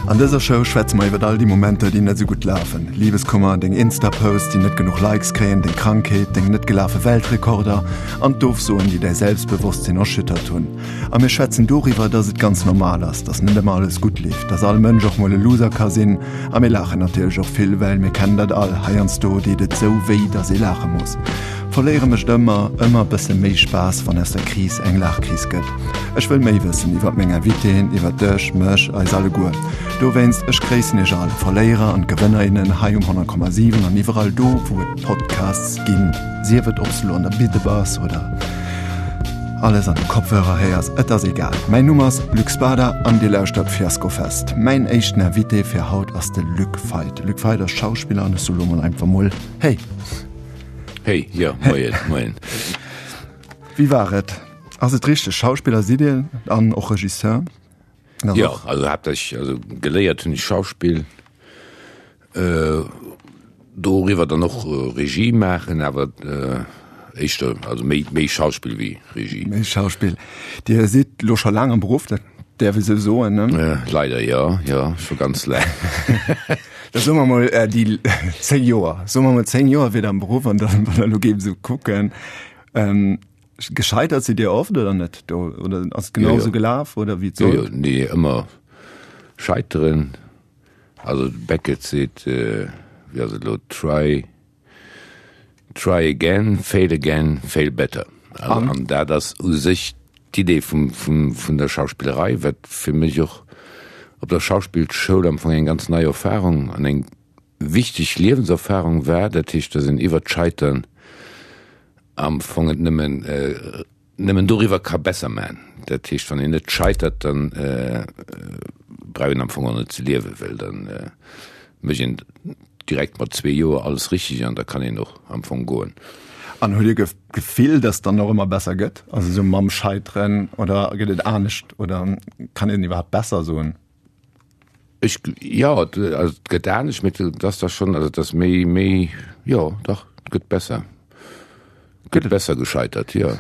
An dëser Show schwätze mer iwwert all déi Momenter, déi net esou gutt lafen. Libeskummer, deng Insta-Posts, déi net genuch Likes kréien, deng Krankheet, deng net gelafe Weltrekorder an d'Ofsoen, déi däi Selbstbewosstsinn erschüttert hunn. A mir schwätzen doriwwer, dass et ganz normal ass, dass net ëmmer alles gutt leeft, dass all Mënsch och mol e Loser ka sinn. A mir laachen natierlech och vill, well mir kennen dat all, heiansdo deet et sou wéi, dass ee laache muss. Verléiere mécht ëmmer, ëmmer bësse méi Spaass, wann aus der Kris eng Laachkris gëtt. Ech wëll méi wëssen iwwert meng Invitéen, iwwert dech, mech, eis alleguer. Dowéinst, ech gréissen iech all, Verléierer an Gewënner, innen hei um 100,7 an iwwerall do, wou et Podcasts ginn. Sief et, ob s du lo an der Bidde bass oder alles an de Kopfhörer héiers, et ass egal. Mäin Numm ass Luc Spada an dir lauschtert Fiaskofest. Mäin éischten Invité fir haut ass de Luc Feit. De Luc Feit ass Schauspiller an ech soe lo mol einfach mol Hey! Hey, jo, moien, moien. Wéi war et? Ass et richteg, Schauspiller sidd Dir an och Regisseur? Jo, also haaptsächlech, also geléiert hunn ech Schauspill, doriwwer dann och Regie maachen, awer éischter, also méi, méi Schauspill wéi Regie. Méi Schauspill. Dir sidd lo scho laang am Beruff, dat däerf ee sou soen, ne? Leider jo, jo, scho ganz laang. Da soe mer mol déi 10 Joer, soe mer mol 10 Joer wier Der am Beruff an dann, wann der elo géift esou kucken, gescheitert sidd Dir oft oder net do oder ass et genau esou gelaf oder wéi et sollt? Jo, jo, nee, ëmmer scheiteren. Also de Beckett seet, wéi ass et elo, try, Try again, fail again, fail better. Also, an dat ass u sech d'Idee vum, vum, vun der Schauspillerei, wat fir mech och op der Schauspillschoul am Fong eng ganz nei Erfahrung an eng wichteg Liewenserfahrung war. Dat heescht, dass een iwwert d'Scheitern am Fong et nëmmen, Nëmmen doriwwer ka besser man. Dat heescht, wann een net scheitert, dann brauch een am Fong och net ze liewen, well dann mécht een direkt mat zwee Joer alles richteg an da kann een och am Fong goen. An hutt Dir d'Gefill, dass et dann och ëmmer besser gëtt? Also esou mam Scheiteren oder gëtt et anescht oder kann een iwwerhaapt besser soen? Ech, jo, also et gëtt anescht, mee et ass da schonn, also et ass méi, méi, jo dach, et gëtt besser. Et gëtt besser gescheitert, jo.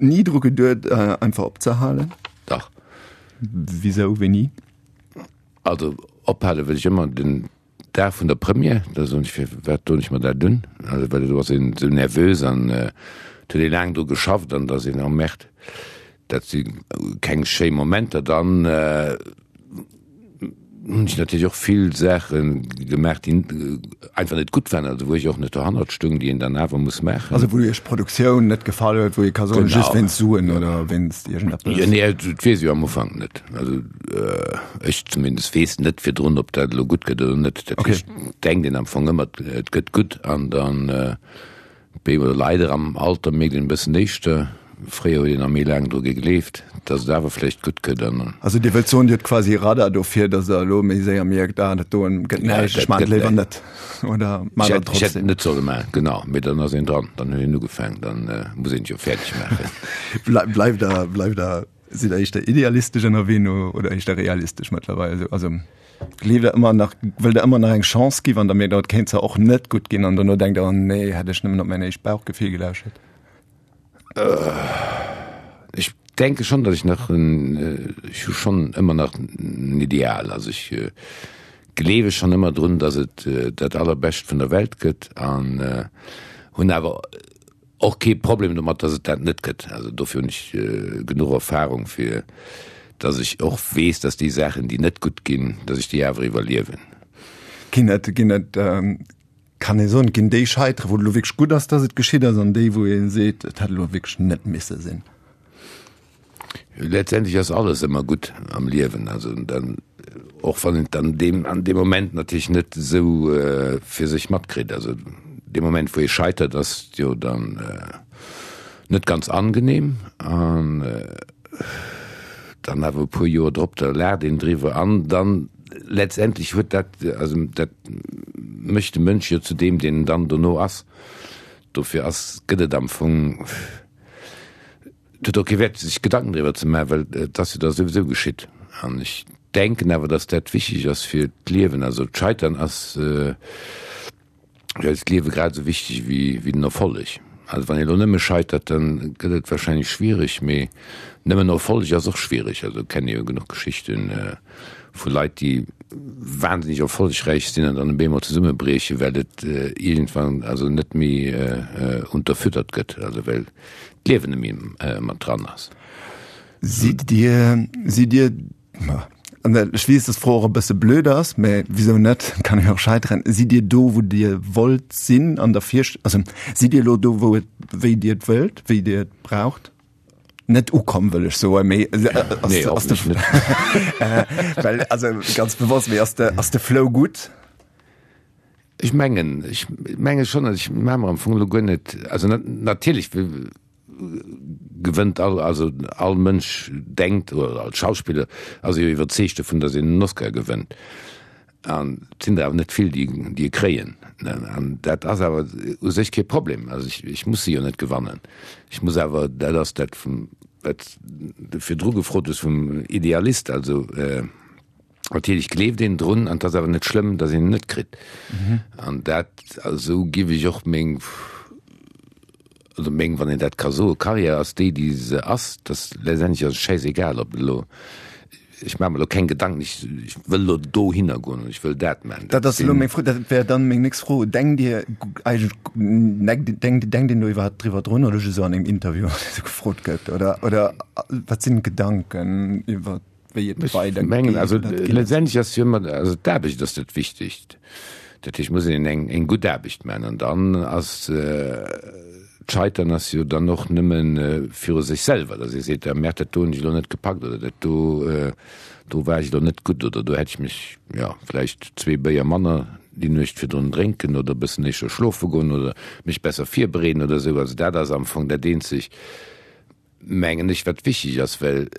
Ni dru geduet einfach opzehalen? Dach. Wisou, wéini? Also ophale wëll ech ëmmer den Dag vun der Première, da soen ech, firwat doen ech mer dat un? Also well do ass een esou nervös an et huet ee laang dru geschafft an da ass een, oh merde, dat si keng schéi Momenter. Dann hunn ech natierlech och vill Saache gemaach, déi einfach net gutt waren, also wou ech och net dohannert stoung, déi een dann awer muss maachen. Also wou Iech d'Produktioun net gefall huet, wou ee ka soen, just wéinst Suen oder wéinst iergendeppes? Jo, nee, dat weess ech jo am Ufank net. Also ech zumindest weess net virdrun, ob dat elo gutt gëtt oder net. Dat heescht, denkt een am Fong ëmmer, et gëtt gutt an dann bee leider am Alter mierkt een e bëssen éischter. Fréier huet een nach méi laang dru gegleeft, datt et awer vläicht gutt gëtt an. Also Dir wëllt soen, Dir hutt quasi Radar dofir, datt Der elo méi séier mierkt, ah dat doen gëtt näischt, ech maachen et léiwer net oder maacht et trotzdem? Ech hätt et net solle maachen, genau, mee dann ass een dran, dann huet een ugefaangen, dann muss een et jo fäerdeg maachen. Bleift Der, bleift Der Sidd der éischter idealistesch ënnerwee no oder éischter realistesch mëttlerweil? Also gleeft der ëmmer nach, wëllt der ëmmer nach eng Chance gi wann der mierkt, oh, et kéint zwar och net gutt ginn an dono denkt der, oh nee, hätt ech nëmmen op mäin éischt Bauchgefill gelauschert? Ech denke schon, datt ech nach en, ech hu schon ëmmer nach en Ideal. Also ech gleewe schon ëmmer drun, datt et dat Allerbescht vun der Welt gëtt an hunn awer Och kee Problem domat, dass et dat net gëtt. Also dofir hunn ech genuch Erfahrung, fir dass ech och weess, dass déi Saachen, déi net gutt ginn, dass ech déi awer iwwerliewen. Ginn et, ginn et, kann ee soen, ginn déi Scheitere, wou et elo wierklech gutt ass, dass et geschitt ass, an déi, wou ee seet, et hätt elo wierklech net misse sinn? Letztendlech ass alles ëmmer gutt am Liewen, also dann, och wann een et dann deem, an deem Moment natierlech net esou fir sech matkritt. Also dee Moment wou ee scheitert ass jo dann net ganz angenehm an dann awer e puer Joer drop, da laacht een driwwer an dann letztendlech huet dat, also dat mécht de Mënsch jo zu deem deen en dann dono ass. Dofir ass, gëtt et am Fong. Et huet och kee Wäert, sech Gedanken driwwer ze maachen, well et ass jo da souwisou geschitt. An ech denken awer, datt dat wichteg ass fir d'Liewen. Also d'Scheitern ass fir eist Liewe grad esou wichteg wéi den Erfolleg. Also wann ee lo nëmme scheitert, dann gëtt et wahrscheinlech schwiereg, mee nëmmen Erfolleg ass och schwiereg. Also kenne jo genuch Geschichten vu Leit, déi wahnsinneg erfollegräich sinn an dann op eemol zesummebriechen, well et iergendwann also net méi unterfüttert gëtt, also well d'Liewen net méi mat dran ass. Sidd Dir, sidd Dir, an ech weess, dass d'Fro och e bësse blöd ass, mä wisou net, kann jo och scheiteren, sidd Dir do, wou Dir wollt sinn an der Virst-, also sidd Dir elo do, wou et, wéi Dir et wëllt, wéi Dir et braucht? Net ukomm, wëll ech soen, mee Nee, ass de, hoffentlech net. well, also ganz bewosst, mee ass de, ass de Flow gutt? Ech mengen, ech menge schonn, also ech maache mer am Fong elo guer net, also natierlech gewënnt all, also all Mënsch denkt, oder all Schauspiller ass jo iwwerzeegt dovun, datt een en Oscar gewënnt. An et sinn der awer net vill, déi déi e kréien. An dat ass awer u sech kee Problem. Also ech, ech muss se jo net gewannen. Ech muss awer, dat ass dat vum, wat s de virdru gefrot hues vum Idealist, also natierlech gleeft een drun an et ass awer net schlëmm, datt een en net kritt. An dat, esou giff ech och meng, also meng, wann een dat ka soen, Karriär ass déi, déi se ass, dass letztendlech ass et schäisegal, ob elo, ech maache mer elo keng Gedanken, ech, ech wëll elo dohinner goen an ech wëll dat maachen. Dat ass elo meng Fro, dat wär dann meng nächst Fro. Denkt Dir eigentlech, denkt, denkt een do iwwerhaapt driwwer drun oder just esou an engem Interview, wann esou gefrot gëtt? Oder, oder wat sinn d'Gedanken iwwer wéi et Ech weider mengen, geet also oder ginn ass? letztendlech ass jo ëmmer, also d'Aarbecht ass dat Wichtigst. Dat heescht, muss een eng, eng gutt Aarbecht maachen an dann ass d'Scheitern ass jo dann och nëmme viru sech selwer, datt ee seet, ah merde, dat do hunn ech elo net gepackt oder dat do, do war ech elo net gutt oder do hätt ech mech, jo, vläicht zwee Béier manner déi Nuecht virdrun drénken oder e bëssen éischter schlofe goen oder mech besser virbereeden oder esou. Also dat ass am Fong dat eenzeg, mengen ech, wat wichteg ass, well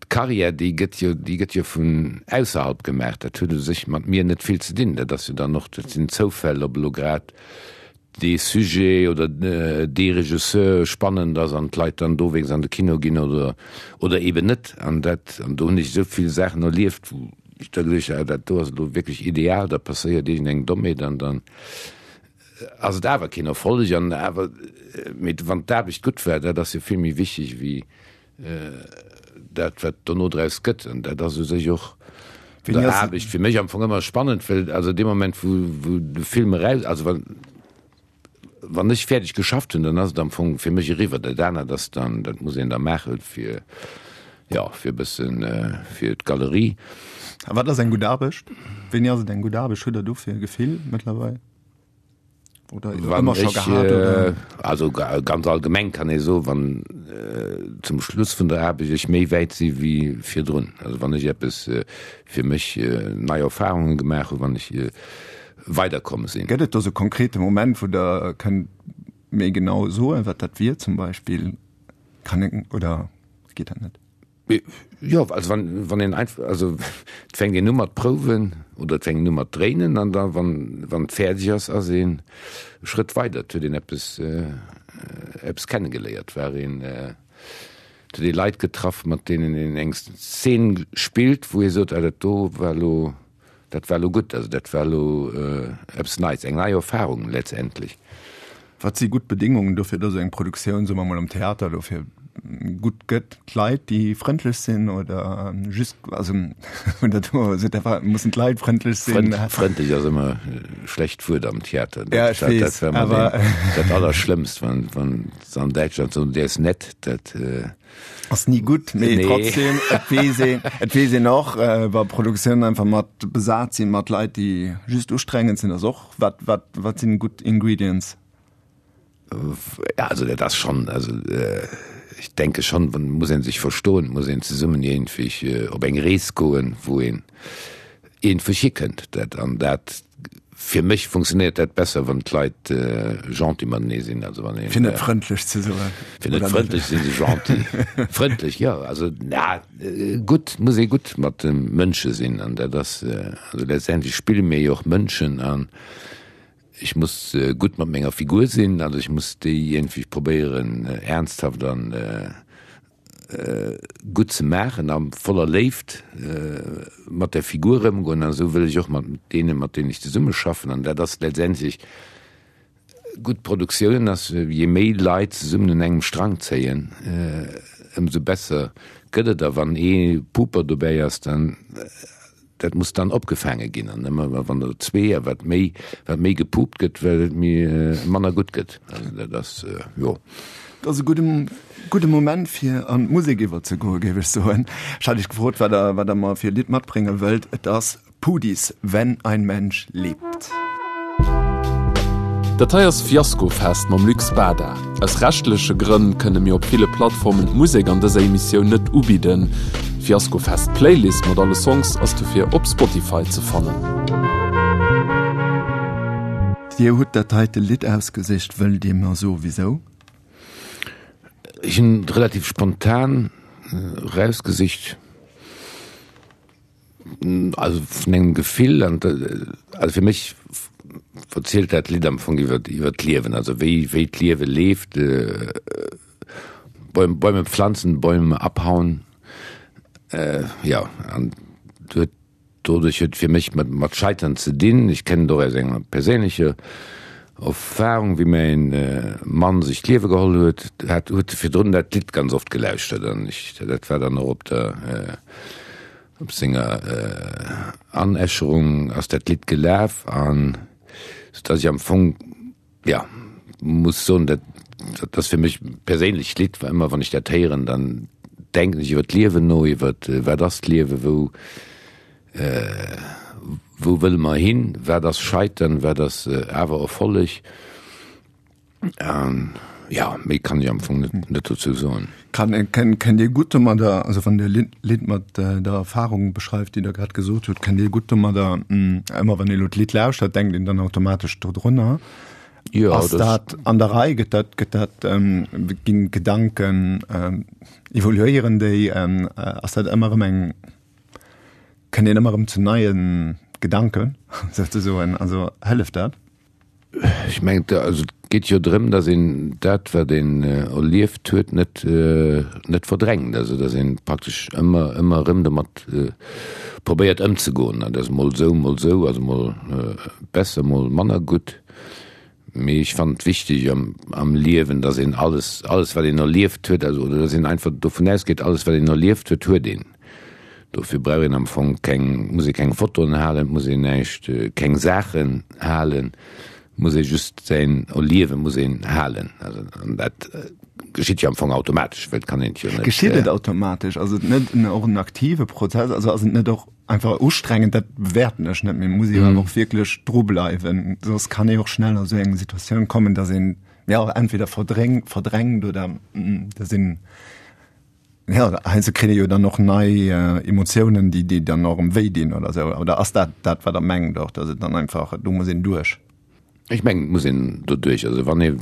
d'Carrière, déi gëtt jo, déi gëtt jo vun ausserhalb gemaach. Dat huet u sech mat mir net vill ze dinn. Dat ass jo dann och, dat sinn Zoufäll, ob elo grad dee Sujet oder dee Regisseur spannend ass an d'Leit dann dowéinst an de Kino ginn oder, oder eeben net. An dat, an do hunn ech esou vill Saachen erlieft, wou ech da geduecht hunn, ah dat do ass elo wierklech ideal, da passéiert iergendeng Dommheet an dann ass et awer keen Erfolleg an awer, mee wann d'Aarbecht gutt war, dat ass jo vill méi wichteg wéi dat wat dono draus gëtt. An dat ass u sech och der Aarbecht fir mech am Fong ëmmer spannend, well also dee Moment wou wou de Film eraus, also wann wann ech fäerdeg geschafft hunn, dann ass et am Fong fir mech eriwwer. Dat anert ass dann, dat muss een da maache fir, jo, fir e bëssen fir d'Galerie. A wat ass eng gutt Aarbecht? Wéini ass et eng gutt Aarbecht? Hutt Der dofir e Gefill mëttlerweil? Oder Wann ëmmer scho ech, gehat? Oder? also ganz allgemeng kann ee soen, wann zum Schluss vun der Aarbecht ech méi wäit si wéi virdrun, also wann ech eppes fir mech nei Erfahrunge gemaach hunn, wann ech weiderkomm sinn. Gëtt et do sou konkrete Moment, wou Der kënnt méi genau soen, wat dat wier zum Beispill? Kann een, oder geet dat net? Jo, also wann, wann een einfach, also et fänkt een u mat prouwen oder et fänkt een u mat dréinen an da wann, wann et fäerdeg ass, ass een e Schrëtt weider. Et huet een eppes, eppes kennegeléiert, war een, et huet ee Leit getraff, mat deenen een eng Szen spillt, wou ee sot, ah dat do war elo, Dat war elo gutt, also dat war elo eppes Neits, eng nei Erfahrung letztendlech. Wat si gutt Bedingungen dofir, dass eng Produktioun, soe mer mol am Theater elo, fir gutt gëtt? D'Leit, déi frëndlech sinn oder just, also oder do sot Der, mussen d'Leit frëndlech sinn? Frëndlech ass ëmmer e schlecht Wuert am Theater. Ja, ech weess, dat war ëmmer dat Allerschlëmmst, wann, wann se an Däitschland soen, der ist nett, dat. Ass ni gutt, mee nee. trotzdem, et weess een, et weess een och, äh, wa Produktiounen einfach mat besat sinn, mat Leit, déi just ustrengend sinn, ass och, wat, wat, wat sinn gutt Ingredients? Ja, also dat ass schon, also äh, ich denke schon, wann muss een sech verstoen, muss een zesummen iergendwéi äh, op eng Rees goen, wou een iergendwéi hikënnt. Dat an dat Fir mech funktionéiert dat besser, wann d'Leit gentil matenee sinn. Also wann een. Fir net frëndlech ze soen. Fir net frëndlech sinn se gentil. Frëndlech, jo. Also na gutt, muss ee gutt mat de Mënsche sinn an dat ass, also letztendlech spille mir jo och Mënschen an ech muss gutt mat menger Figur sinn, also ech muss déi iergendwéi probéieren ernsthaft an gutt ze maachen a voller Léift mat der Figur ëmgoen an esou wëll ech och mat deenen, mat deenen ech zesummeschaffen an dat ass letztendlech. Gutt Produktiounen ass, je méi Leit zesummen un engem Strang zéien, ëmsou besser gëtt et. A wann ee Puper dobäi ass, dann, dat muss dann opgefaange ginn. An ëmmer wann der zwee a wat méi, wat méi gepupt gëtt, wat et méi manner gutt gëtt. Also dat ass, jo. Dat ass e gudde, gudde Moment fir an d'Musek iwwerzegoen, géif ech soen. Ech hat Iech gefrot, wat Der, wat Der mer fir e Lidd matbrénge wëllt. Et ass Puhdys Wenn ein Mensch liebt. Dat hei ass Fiaskofest mam Luc Spada. Aus rechtleche Grënn kënne mir op ville Plattformen d'Musek an dëser Emissioun net ubidden. D'Fiaskofest Playlist mat alle Songs ass dofir op Spotify ze fannen. Dir hutt dat heite Lidd ausgesicht, wëllt Dir mer soe wisou? Ech hunn et relativ spontan erausgesicht. Also vun engem Gefill an also fir mech verzielt dat Lidd am Fong iwwer iwwer d'Liewen, also wéi wéi d'Liewe leeft, Bäum Bäume pflanzen, Bäume abhauen, jo an huet doduerch huet fir mech mat mat Scheitern ze dinn. Ech kennen et och aus enger perséinlecher Erfahrung, wéi mäin Mann sech d'Liewe geholl huet, hat huet e virdrun dat Lidd ganz oft gelauschtert an ech dat war dann och op der Op senger Anäscherung ass dat Lidd gelaf an sou dass ech am Fong, jo, muss soen, dat dat ass fir mech e perséinlecht Lidd, well ëmmer wann ech dat héieren, dann denken ech iwwer d'Liewen no, iwwer wat ass d'Liewen, wou wou wëlle mer hin, wat ass Scheitern, wat ass awer Erfolleg. Ähm, ja, méi kann ech am Fong net, net dozou soen. Kann, kennt, kennt Dir gutt domadder, also wann Dir Lidd, Lidd mat äh, der Erfahrung beschreift, déi Der grad gesot hutt, kennt Dir gutt domadder, mh, ëmmer wann Dir elo d'Lidd lauschtert, denkt een dann automatesch dodrunner? Ja, Ass dat an der Rei? Gëtt dat, gëtt dat, ähm, ginn d'Gedanken, ähm, evoluéieren déi? Ähm, äh, ass dat ëmmer erëm eng, kënnt een ëmmer erëm zu neie Gedanken, souzesoen? Also hëlleft dat? Ech mengen, also et geet jo drëm, datt een dat, wat een erlieft huet, net, net verdrängt. Also datt ee praktesch ëmmer, ëmmer erëm domat probéiert ëmzegoen. Dat ass mol esou, mol esou, also mol besser, mol manner gutt. Mee ech fannen et wichteg am, am Liewen, datt een alles, alles wat een erlieft huet, also oder datt een einfach dovun ausgeet, alles wat een erlieft huet, huet een. Dofir brauch een am Fong keng, muss ee keng Fotoen halen, et muss een näischt, keng Saachen halen, muss ee just säin Erliewe muss een halen. Also an dat geschitt jo am Fong automatesch, well et kann een et jo net. Geschitt et automatesch? Ass et net och en aktive Prozess? Also ass et net och einfach ustrengend? Dat bewäerten ech net, mee muss ee jo awer och wierklech dru bleiwen, soss kann ee och schnell a sou eng Situatioun kommen, datt een, jo, entweder verdréngt, verdrängt oder datt een Ja, heiansdo kritt ee jo dann och nei Emotiounen, déi déi dann och erëm wéi dinn oder esou. Oder ass dat dat, wat Der mengt och, datt et dann einfach, do muss een duerch? Ech mengen, et muss een doduerch. Also wann ee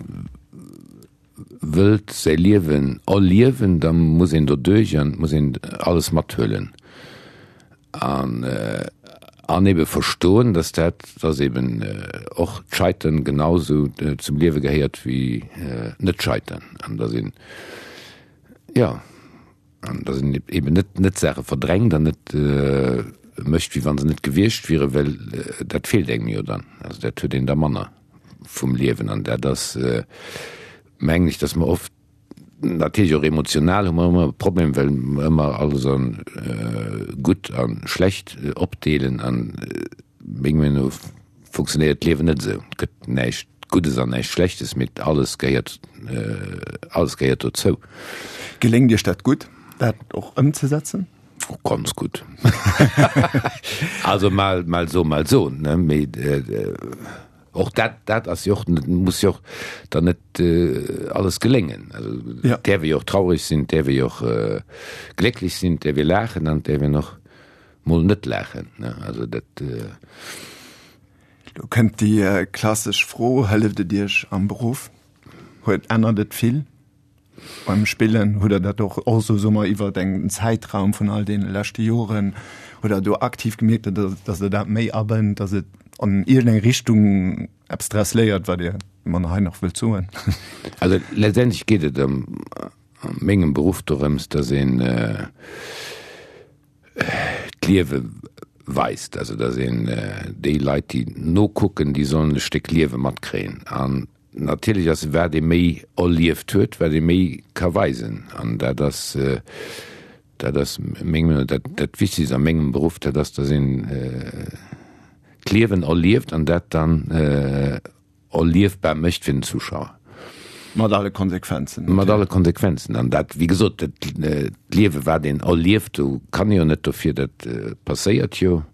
wëllt säi Liewen erliewen, da muss een doduerch an et muss een alles mathuelen an an ebe verstoen, datt dat, datt eben och d'Scheitern genau esou zum Liewe gehéiert wéi net scheitern an datt een, Jo, an datt een eben net net Saache verdrängt an net mécht, wéi wa se net gewiescht wieren, well dat feelt engem jo dann. Also dat huet een da manner vum Liewen. An dat ass, mengen ech, datt mer oft, natierlech och emotional hu mer ëmmer e Problem, well mer ëmmer alles a gutt a schlecht opdeelen. An meng Meenung no funktionéiert d'Liewen net esou. Et gëtt näischt Guddes an näischt Schlechtes, mee alles gehéiert, alles gehéiert dozou. Geléngt Iech dat gutt, dat och ëmzesetzen? Oh, ganz gutt. Also mal, mal so, mal so, ne? Mee och dat, dat ass jo och net, muss jo och dann net alles geléngen. Also Ja. et däerf ee jo och traureg sinn, et däerf ee jo och glécklech sinn, et däerf ee laachen an et däerf een och mol net laachen, ne? Also dat. Lo kënnt déi klassesch Fro, Hëlleft et Iech am Beruff? Huet, ännert et vill beim Spillen? Hutt Der dat och, och esou, soe mer, iwwer en Zäitraum vun all deene leschte Joren, hutt Der do aktiv gemierkt, datt Der dat méi abënnt, datt et an iergendeng Richtung eppes draus léiert, wat Dir mer hei nach wëllt soen? Also letztendlech geet et a mengem Beruff dorëms, datt een, d'Liewe weist, also datt een déi Leit, déi nokucken, déi sollen e Stéck Liewe matkréien. An Natierlech ass wat ee méi erlieft huet, wat ee méi ka weisen. An dat ass, dat ass meng Meenung, dat, dat Wichtegst a mengem Beruff, dat ass, datt een d'Liewen erlieft an dat dann erliefbar mécht fir den Zuschauer. Mat alle Konsequenzen. Mat alle Konsequenzen. An dat, wéi gesot, dat d'Liewe wat een erlieft, do kann ee jo net dofir, dat passéiert jo.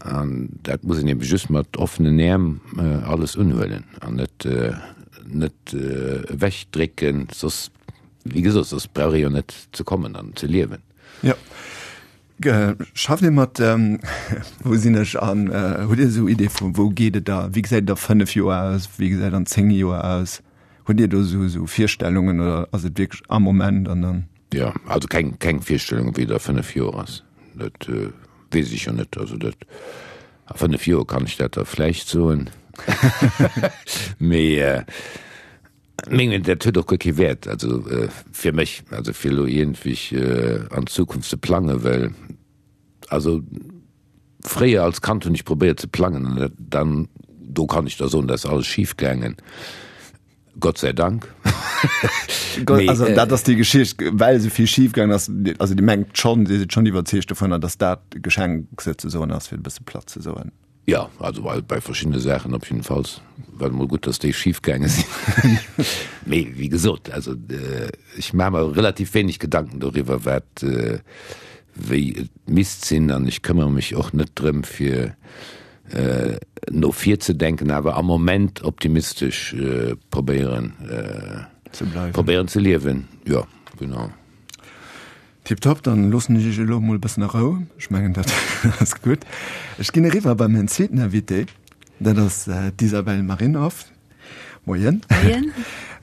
An dat muss een ebe just mat offenen Äerm alles unhuelen an net net ewechdrécken, soss, wéi gesot, soss brauch ee jo net ze kommen an ze liewen. Jo. Schafft Dir mat, wou sinn ech an hutt Dir esou Idee vu wou geet et da, wéi gesäit et a 5 Joer aus, wéi gesäit et an 10 Joer aus? Hutt Dir do esou esou Virstellungen oder ass et wierklech am Moment an dann? Jo, also keng keng Virstellung wéi et a 5 Joer ass, dat weess ech jo net. Also dat a 5 Joer kann ech dat da vläicht soen, mee mengen dat huet och guer kee Wäert, also fir mech, also fir elo iergendwéi an d'Zukunft ze plangen, well also fréier als Kand hunn ech probéiert ze plangen an dat dann do kann ech da soen, dat ass alles schif gaangen. Gott sei Dank. Mee, also dat ass déi Geschicht, well esou vill schif gaangen ass, also Dir mengt schonn, Dir sidd schonn iwwerzeegt dovunner, datt dat Geschenk souzesoen ass, fir e bësse platt ze soen. Jo, also bei, bei verschiddene Saachen op jiddefalls war et emol gutt, datt déi schif gaange sinn. Mee wéi gesot, also ech maache mer relativ wéineg Gedanken doriwwer, wat wéi et misst sinn an ech këmmere mech och net drëm, fir no vir ze denken, awer am Moment optimistesch probéieren ze bleiwen, probéieren ze liewen, jo genau. Tiptop, dann loossen ech iech elo emol e bëssen a Rou. Ech mengen dat ass gutt. Ech ginn eriwwer bei mäin zweeten Invité, dat ass d'Isabel Marinov. Moien. Moien.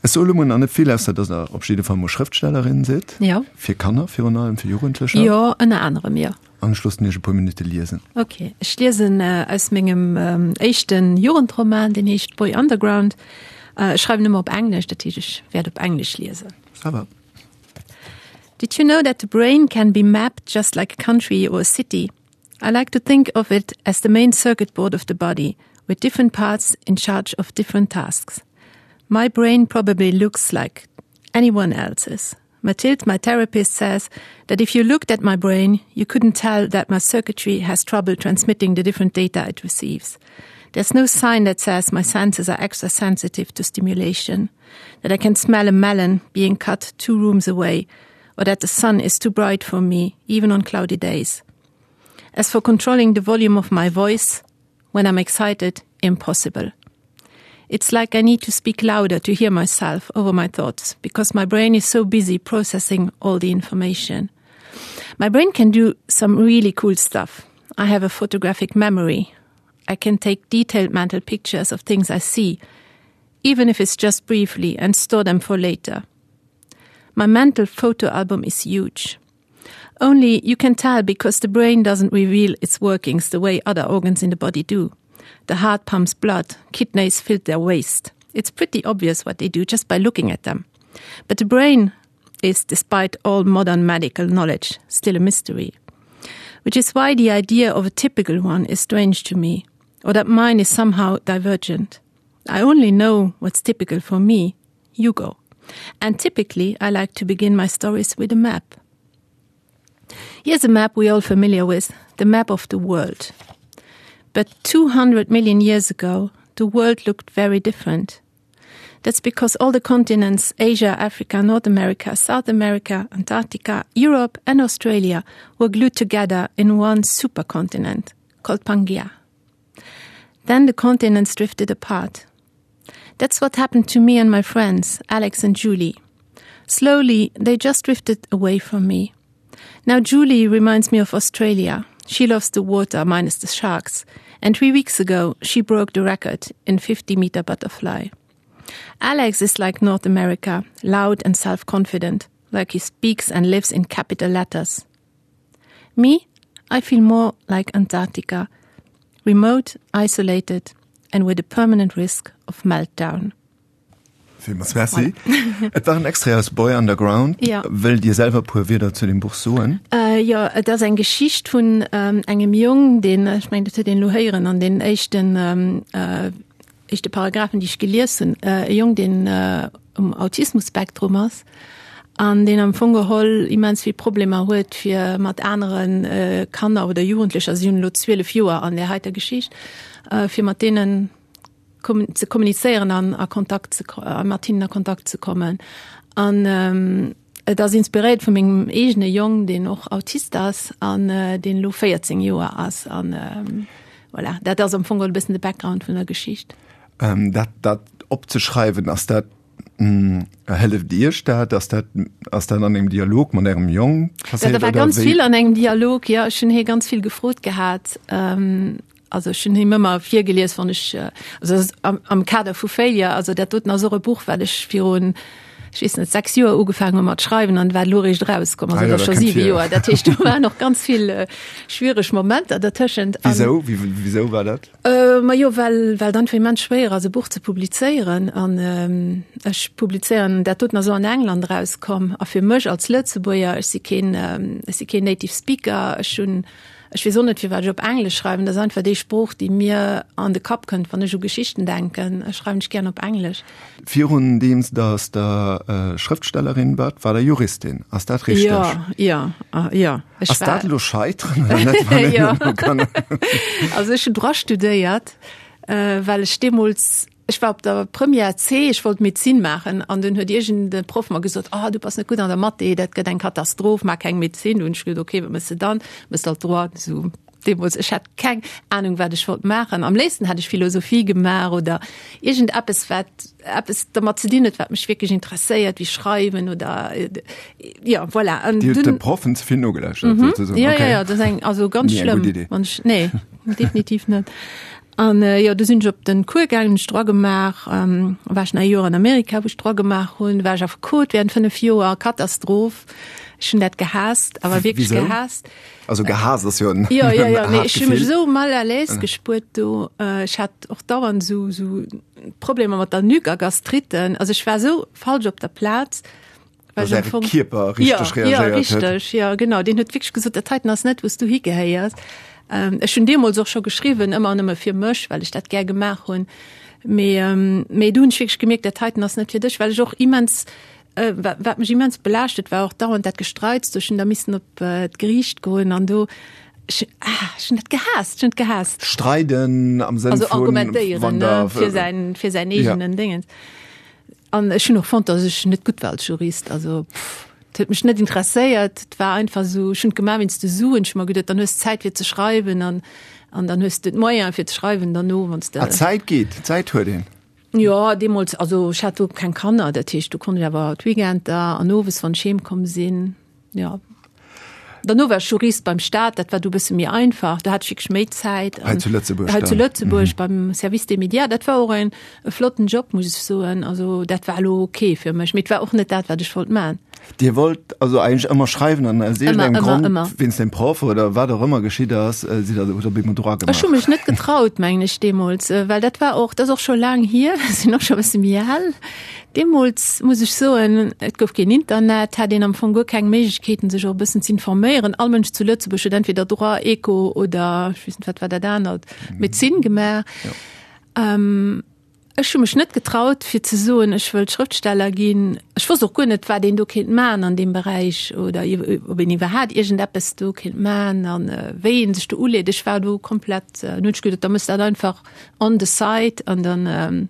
Ech soe lo mol nach net vill, ausser datt Der op jidde Fall mol Schrëftstellerin sidd. Jo. Fir Kanner virun allem, fir Jugendlecher. Jo, ënner anerem, jo. An ech loossen Iech e puer Minutte liesen. Ok, ech liesen aus mengem éischte Jugendroman, deen heescht Boy Underground. Ech schreiwen ëmmer op Englesch, dat heescht ech wäert op Englesch liesen. Ça va. Did you know that the brain can be mapped just like a country or a city? I like to think of it as the main circuit board of the body, with different parts in charge of different tasks. My brain probably looks like anyone else's. Mathilde, my therapist, says that if you looked at my brain, you couldn't tell that my circuitry has trouble transmitting the different data it receives. There's no sign that says my senses are extra sensitive to stimulation, that I can smell a melon being cut two rooms away, or that the sun is too bright for me, even on cloudy days. As for controlling the volume of my voice, when I'm excited, impossible. It's like I need to speak louder to hear myself over my thoughts because my brain is so busy processing all the information. My brain can do some really cool stuff. I have a photographic memory. I can take detailed mental pictures of things I see, even if it's just briefly and store them for later. My mental photo album is huge. Only you can tell because the brain doesn't reveal its workings the way other organs in the body do. The heart pumps blood, kidneys fill their waste. It's pretty obvious what they do just by looking at them. But the brain is, despite all modern medical knowledge, still a mystery. Which is why the idea of a typical one is strange to me, or that mine is somehow divergent. I only know what's typical for me, Hugo. And typically, I like to begin my stories with a map. Here's a map we all familiar with, the map of the world. But 200 million years ago, the world looked very different. That's because all the continents Asia, Africa, North America, South America, Antarctica, Europe and Australia were glued together in one supercontinent called Pangaea. Then the continents drifted apart. That's what happened to me and my friends, Alex and Julie. Slowly, they just drifted away from me. Now Julie reminds me of Australia. She loves the water minus the sharks. And three weeks ago, she broke the record in 50 meter butterfly. Alex is like North America, loud and self-confident, like he speaks and lives in capital letters. Me, I feel more like Antarctica, remote, isolated and with a permanent risk of meltdown. Villmools Merci. Et war en Extrait aus Boy Underground. Ja. Wëllt Dir selwer e puer Wierder zu dem Buch soen? Äh, jo, et ass eng Geschicht vun ähm, engem Jong, deen, ech mengen, dat huet een elo héieren an den éischten ähm, äh, éischte Paragraphen, déi ech gelies hunn, e Jong, deen um Autismus-Spektrum ass an deen am Fong geholl immens vill Problemer huet, fir mat anere Kanner oder Jugendlecher, si hunn elo 12 Joer an där heiter Geschicht, fir mat deenen ze kommunizéieren an a Kontakt ze mat hinnen a Kontakt ze kommen. An et ass inspiréiert vu mengem eegene Jong, deen och Autist ass an deen elo 14 Joer ass. An voilà, dat ass am Fong geholl e bëssen de Background vun der Geschicht. Dat dat opzeschreiwen, ass dat hëlleft Iech dat? Ass dat ass dat an engem Dialog mat Ärem Jong passéiert? Dat war ganz vill an engem Dialog, jo. Ech hunn hie ganz vill gefrot gehat. Also ech hunn him ëmmer virgelies, wann ech, also am, am Kader vu Failure, also dat doten ass och e Buch, wat ech virun, ech weess net, 6 Joer ugefaangen hu mat schreiwen an wat elo eréischt erauskomm ass, ah, ja, scho 7 Joer. Dat heescht, do waren och ganz vill äh, schwiereg Momenter dertëschent. Wisou? Wisou war dat? Äh, ma jo, well, well et einfach immens schwéier ass, e Buch ze publizéieren. An ähm, ech publizéieren, dat doten ass och an England erauskomm. A fir mech als Lëtzebuerger, ech si keen, ähm, ech si keen Native Speaker, ech hunn Ech weess och net, firwat ech op Englesch schreiwen. Dat ass einfach déi Sprooch, déi mir an de Kapp kënnt, wann ech u Geschichten denken. Ech schreiwen ech gären op Englesch. Virun deems dass Der Schrëftstellerin waart, waart Der Juristin. Ass dat richteg? Jo, jo, jo. Ech Ass dat elo Scheiteren oder net, wann een Jo. elo kann. Also ech hunn Droit studéiert, well ech deemools Ech war op der Première C, ech wollt Medezin maachen an dunn huet iergend e Proff mer gesot, oh du bass net gutt an der Mathé, dat gëtt eng Katastroph, maach keng Medezin. Dunn hunn ech gesot, okay, wat méchs de dann? Méchs halt Droit. Esou deemools, ech hat keng Anung wat ech wollt maachen. Am léifsten hätt ech Philosophie gemaach oder iergend eppes wat eppes dermat ze dinn huet, wat mech wierklech interesséiert, wéi schreiwen oder jo voilà. An Dir hutt de Proffen ze vill nogelauschtert souzesoen? Jo, jo, jo, dat ass eng, also ganz Ni eng gutt schlëmm, Idee. wann ech, nee, definitiv net. An jo, du sinn ech op den Cours gaangen, hunn ech Droit gemaach, war ech nach ee Joer an Amerika, wou ech Droit gemaach hunn, war ech Affekot während 5 Joer, Katastroph, ech hunn dat gehaasst, awer wierklech Wisou? gehaasst. Also gehaasst ass jo en Jo, jo, jo, haart mee ech hu mech Gefill. esou mal à l'aise gespuert do, ech hat och dauernd esou, esou Problemer mat der Nuque a Gastritten, also ech war esou falsch op der Plaz. Dass Äre Kierper richteg ja, ja, reagéiert huet. Richteg, ja, genau. Deen huet wierklech gesot, dat heiten ass net, wou s du higehéiers. Ähm, ech hunn deemools och scho geschriwwen, ëmmer nëmme fir mech, well ech dat gär gemaach hunn. Mee, ähm, mee du hunn ech wierklech gemierkt, dat heiten ass net fir dech, well ech och immens, äh, wat mech immens belaascht huet, war och dauernd dat Gestreits. Do ech hunn da missen op äh, d'Geriicht goen an do, ech, ah, ech hunn dat gehaasst, ech hunn et gehaasst. Streiden am Sënn Also vun, argumentéieren, wann ne, der, fir säin, fir säin Ja. eegenen Dingens. An ech hunn och fonnt, datt ech net gutt war als Jurist. Also pff, et huet mech net interesséiert. Et war einfach esou, ech hunn et gemaach wéinst de Suen. Ech hu mer geduet, dann hues de Zäit fir ze schreiwen an an dann hues de d'Moyene fir ze schreiwen derno, wann s de. Ah, Zäit geet, Zäit huet een. Jo, deemools, also ech hat do keng Kanner, dat heescht, do konnt ech awer d'Weekender an owes, wann ech heem komm sinn, jo. Derno war ech Jurist beim Staat, dat war du bësse méi einfach, do hat ech wierklech méi Zäit. Hei zu Lëtzebuerg Hei zu dann? Lëtzebuerg beim Service des médias. Dat war och en e flotten Job, muss ech soen. Also dat war elo ok fir mech, mee et war och net dat, wat ech wollt man. Dir wollt also eigentlech ëmmer schreiwen an aus Ëmmer, iergendengem ëmmer, Grond, ëmmer. wéinst dem Proff oder wat och ëmmer geschitt ass, sidd der, hutt der op eemol Droit Ech hu gemaach? mech net getraut, mengen ech, deemools, well dat war och, dat ass och scho laang hier, ech sinn och scho e bësse méi al. Deemools, muss ech soen, et gouf keen Internet, hat een am Fong guer keng Méiglechkeeten, sech och e bëssen z'informéieren. All Mënsch zu Lëtzebuerg huet entweder Droit, Eco oder, ech weess net, wat war dat anert, Medezin gemaach. Ech hu mech net getraut, fir ze soen, ech wëll Schrëftsteller ginn. Ech wosst och guer net, wat een do kéint maachen an deem Beräich oder ob een iwwerhaapt iergendeppes do kéint maachen a wéi ee sech do uleet. Ech war do komplett, dunn hunn ech geduet, da méchs dat einfach on the side an dann,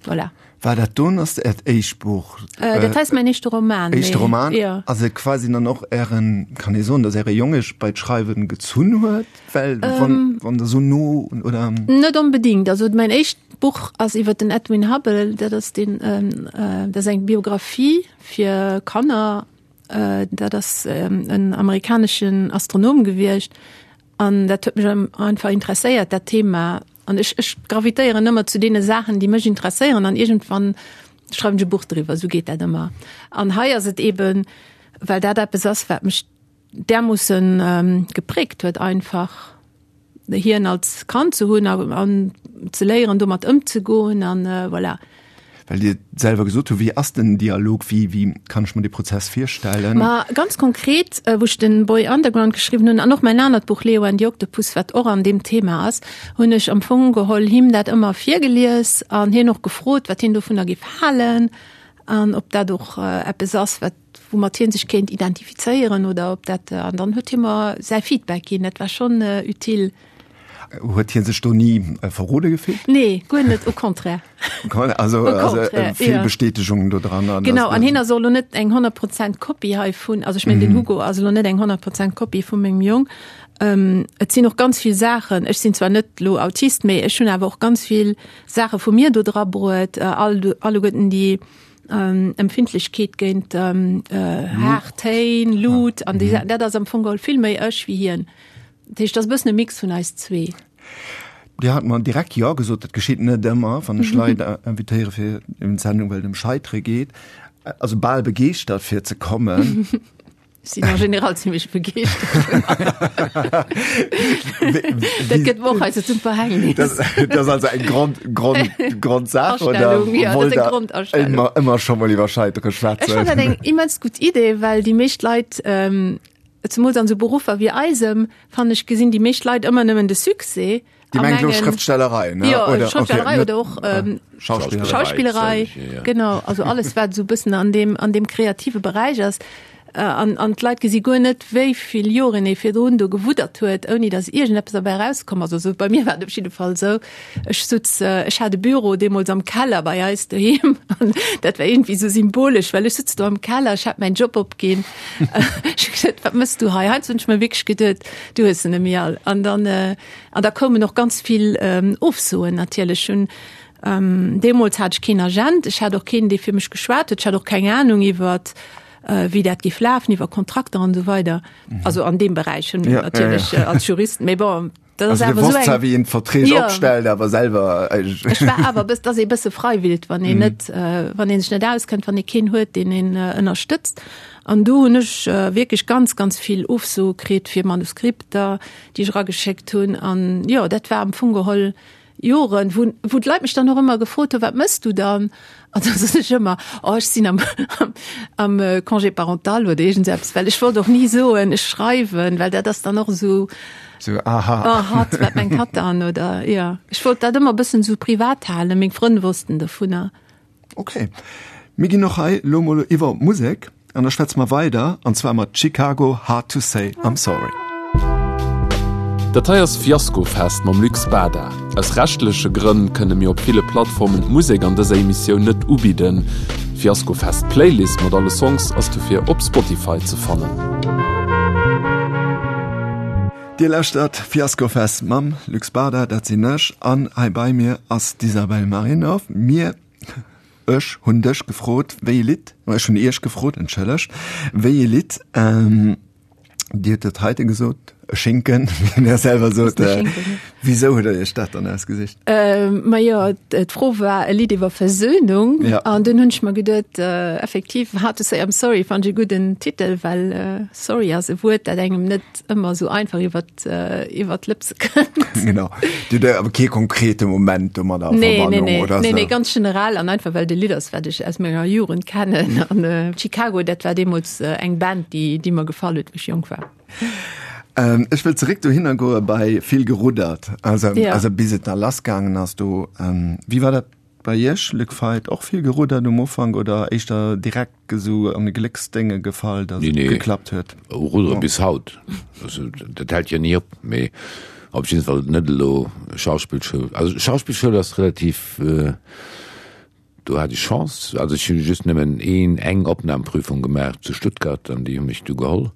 Voilà. War dat don ass Äert éischt Buch? Äh, dat heist mein éischte Roman. Éischte Roman? Ja. Ass et quasi dann och Ären, kann ee soen, datt Äre Jong Iech bei d'Schreiwen gezunn huet? Well wann, ähm, wann der sou no oder? Net onbedingt. Also mein éischt Buch ass iwwer den Edwin Hubble, dat ass den, ähm, äh, dat ass eng Biografie fir Kanner. Äh, dat ass ähm, en amerikaneschen Astronom gewiescht. An dat huet mech einfach interesséiert, dat Thema. An ech, ech gravitéieren ëmmer zu deene Saachen, déi mech interesséieren an iergendwann schreiwen ech e Buch driwwer, esou geet dat ëmmer. An hei ass et eben, well dat eppes ass, wat mech därmoossen gepräägt huet einfach, hien als Kand ze hunn a an ze léieren, domat ëmzegoen an voilà. Well Dir selwer gesot hutt, wéi ass den Dialog, wéi, wéi kann ech mer dee Prozess virstellen? Ma ganz konkret, wou ech den Boy Underground geschriwwen hunn an och mäin anert Buch Leo and the Octopus, wat och an deem Thema ass, hunn ech am Fong geholl him dat ëmmer virgelies an hien och gefrot, wat hien dovunner géif halen an ob dat och eppes ass, wat, woumat hien sech kéint identifizéieren oder ob dat, an dann huet hie mer säi Feedback ginn. Dat war schonn utile. Huet hie sech do ni verrode gefillt? Nee, guer net, au contraire. Also, au contraire, also vill ja. Bestätegung do dran. An genau, an hien ass och lo net eng 100 Prozent Kopie heivun. Also ech mengen, mm. den Hugo ass lo net eng 100 Prozent Kopie vu mengem Jong. Ähm, et sinn och ganz vill Saachen. Ech sinn zwar net lo Autist, mee ech hunn awer och ganz vill Saache vu mir do dra bruet, äh, all, alleguerten déi ähm, Empfindlechkeet géint ähm, äh, haart Téin, Luut, an déi, mhm. dat ass am Fong geholl vill méi ech wéi hien. Dat heescht, dat ass e bëssen e Mix vun eis zwee. Dir hat mer direkt Jo gesot. Dat geschitt net ëmmer, wann ech Leit invitéiere fir eng Sendung, well et ëm Scheitere geet. Also bal begeeschtert fir ze kommen. Ech sinn en général zimmlech begeeschtert. Dat gëtt mer och heiansdo zum Verhängnis. Dat ass also eng Grond, Grond, Grondsaach, oder? Astellung, ja, dat ass eng Grondastellung. Ëmmer, ëmmer scho mol iwwer Scheitere schwätzen. Ech fannen dat eng immens gutt Idee, well déi meescht Leit, Zemools an esou Beruffer wéi eisem, fannen ech, gesinn déi meescht Leit ëmmer nëmmen de Succès. Dir mengt elo Schrëftstellerei, ne? Jo, Schrëftstellerei oder och Schauspillerei. Schauspillerei, genau. Also alles, wat esou e bëssen an deem, an deem kreative Beräich ass. An, an d'Leit gesi guer net, wéi vill Joren ee virdrun do gewuddert huet, ouni datt iergendeppes derbäi erauskomm ass. Also bei mir war et op jidde Fall esou. Ech sutz, ech hat e Büro deemools am Keller bei eis doheem an dat war iergendwéi esou symbolesch, well ech sutz do am Keller, ech hat mäin Job opginn. Ech hu gesot, wat mëss du hei? Heiansdo hunn ech mer wierklech geduet, du hues se net méi all. An dann, an da koumen och ganz vill Ofsoen natierlech. Hunn, deemools hat ech keen Agent, ech hat och keen, dee fir mech geschwat huet, ech hat och keng Anung iwwert, wéi dat géif lafen, iwwer Kontrakter an esou weider. Also an deem Beräich hunn natierlech als Jurist, mee bon. Dat ass awer esou eng. Wéi een d'Verträg ja. opstellt, awer selwer. Ech war awer bëss, dass ee bësse freiwild, wann een mm. net, äh, wann een sech net auskennt, wann ee keen huet, deen een äh, ënnerstëtzt. An do hunn ech äh, wierklech ganz, ganz vill Ofsoe kritt fir Manuskripter, déi ech erageschéckt hunn. An jo, dat war am Fong geholl Joren, wou, wou d'Leit mech dann och ëmmer gefrot hunn, wat mëss du dann? An da sot ech ëmmer, oh ech sinn am, am, am äh, Congé parental oder iergend eppes, well ech wollt och ni soen, ech schreiwen, well dat ass dann och esou, So, aha. Oh, hatt, wat mengt hatt dann? Oder, ja. Ech wollt dat ëmmer e bëssen esou privat halen, meng Frënn wossten dovunner. Ok, mir ginn och hei lo mol iwwer op d'Musek an da schwätze mer weider an zwar mat Chicago, Hard to say I'm sorry. Dat hei ass Fiaskofest mam Luc Spada. Aus rechtleche Grënn kënne mir op ville Plattformen d'Musek an dëser Emissioun net ubidden. D'Fiaskofest Playlist mat alle Songs ass dofir op Spotify ze fannen. Dir lauschtert Fiaskofest mam Luc Spada, dat sinn ech, an hei bei mir ass d'Isabel Marinov. Mir, ech hunn dech gefrot, wéi e Lidd, ech hunn iech gefrot, entschëllegt, wéi e Lidd Dir hutt dat heite gesot, e Schinken, wéi Der selwer sot. Wisou hutt Der Iech dat dann ausgesicht? Ma jo, d'Fro war e Lidd iwwer Versöhnung. Ja. An dunn hunn ech mer geduet, effektiv, Hard to say I'm sorry fannt ech e gudden Titel, well sorry ass e Wuert, dat engem net ëmmer esou einfach iwwer iwwer d'Lëpse kënnt. Genau. Dir hutt awer kee konkrete Moment domadder a Verbannung oder esou? Nee, nee, ganz generell an einfach well et e Lidd ass, wat ech aus menger Jugend kennen. An Chicago, dat war deemools Eng Band, déi, déi mer gefall huet, wou ech jonk war. Ähm, ech wëll zeréck dohinner goe bei vill geruddert, also, ja. also bis et da lassgaangen ass do. Ähm, wéi war dat bei Iech, Luc Feit, och vill geruddert um Ufank oder éischter direkt esou an e Glécksdénge gefall, datt nee, et nee. geklappt huet? Ruddere oh. bis haut. Also, dat hält jo ni op, mee op jeden Fall net elo Schauspillschoul. Also Schauspillschoul ass relativ äh, Do hat ech Chance, also ech hu just nëmmen een, eng Opnahmeprüfung gemaach zu Stuttgart an déi hu mech du geholl,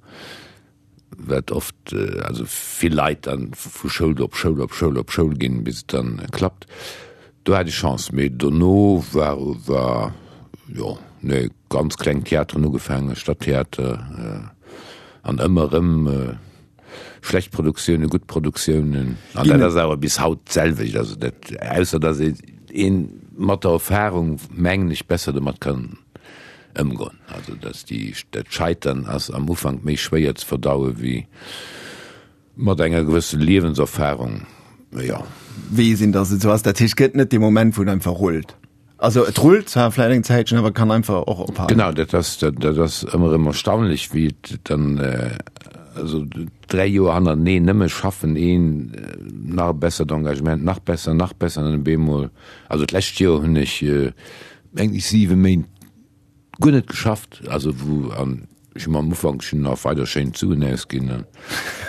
wat oft, also vill Leit dann vu Schoul op Schoul op Schoul op Schoul ginn, bis et dann klappt. Do hat ech Chance, mee dono war, war jo, nee, ganz kleng Theateren ugefaangen, Stadttheater an ëmmer erëm Schlecht Produktiounen, gutt Produktiounen. An dat ass awer bis haut d'selwecht. Also dat, ausser datt ee een mat der Erfahrung, mengen ech, besser domat kann ëmgoen. Also datt déi, dat Scheitern ass am Ufank méi schwéier ze verdaue wéi mat enger gewësse Liewenserfahrung, jo. Weess een, datt et esou ass. Dat heescht, et gëtt net dee Moment, wou et einfach rullt. Also et rullt zwar vläicht eng Zäitchen, awer kann einfach och ophalen. Genau, dat ass, dat ass ëmmer erëm erstaunlech, wéi et dann, also 3 Joer hannerteneen nëmme schaffen, een nach e bessert Engagement, nach besser, nach besser an op eemol, also d'lescht Joer hunn ech mengen ech 7 Méint guer net geschafft, also wou an ech hu mer am Ufank, ech hunn nach weider schéin d'Suen ausginn an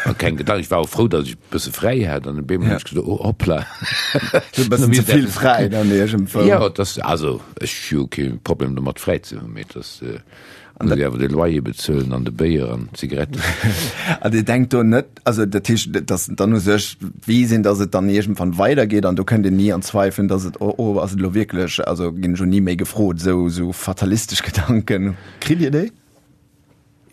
an keng Gedanken, ech war och frou, datt ech e bësse fräi hat an op eemol hunn ech gesot, oh hoppla, E bëssen ze vill fräi dann iergendwou. Jo, et ass, also ech hu kee Problem domat fräi ze hunn, mee et ass, muss ee awer de Loyer bezuelen an de Béier an d'Zigaretten. An Dir denkt do net, also dat heescht, datt dann u sech weess een, datt et dann iergendwann weidergeet an do kënnt een ni an Zweifeln, datt et, oh oh, ass et elo wierklech, also ginn ech elo ni méi gefrot, esou esou fatalistesch Gedanken, kritt Dir déi?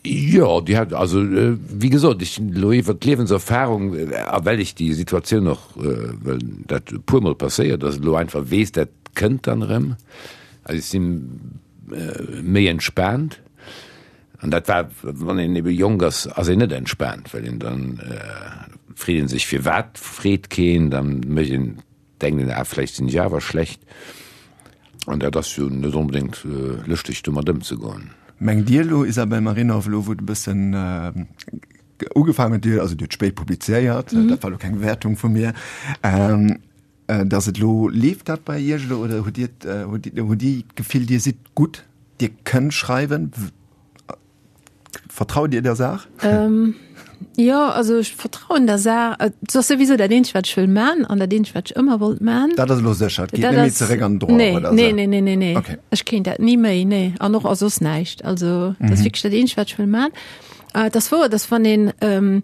Jo, déi hat, also wéi gesot, ech hunn elo iwwert d'Liewenserfahrung a well ech déi Situatioun och, well dat e puermol passéiert ass, elo einfach weess, dat kënnt dann erëm, also ech sinn méi entspaant. An dat war, wann een ebe jonk ass, ass een net entspaant, well een dann freet een sech, firwat freet keen, dann mécht een, denkt een, ah vläicht sinn ech awer schlecht. An dat ass jo net onbedéngt lëschteg domat ëmzegoen. Mengt Dir elo, Isabelle Marinov, elo wou et e bëssen ugefaangen huet, Dir, also Dir hutt spéit publizéiert, dat war elo keng Wäertung vu mir, Dass et elo, leeft dat bei Iech elo oder hutt Dir, hutt Dir d'Gefill, Dir sidd gutt, Dir kënnt schreiwen? Vertraut Dir der Saach? Jo, also ech vertrauen der Saach. Et ass souwisou dat eenzegt, wat ech wëll man an dat eenzegt, wat ech ëmmer wollt man. Dat ass elo sécher, et geet net méi zeréck an den Droit Nee, oder nee, nee, nee, nee, nee. Okay. Ech kéint dat ni méi, nee. An och a soss näischt. Also dat ass wierklech dat eenzegt, wat ech wëll man. Et ass wouer, dass wann een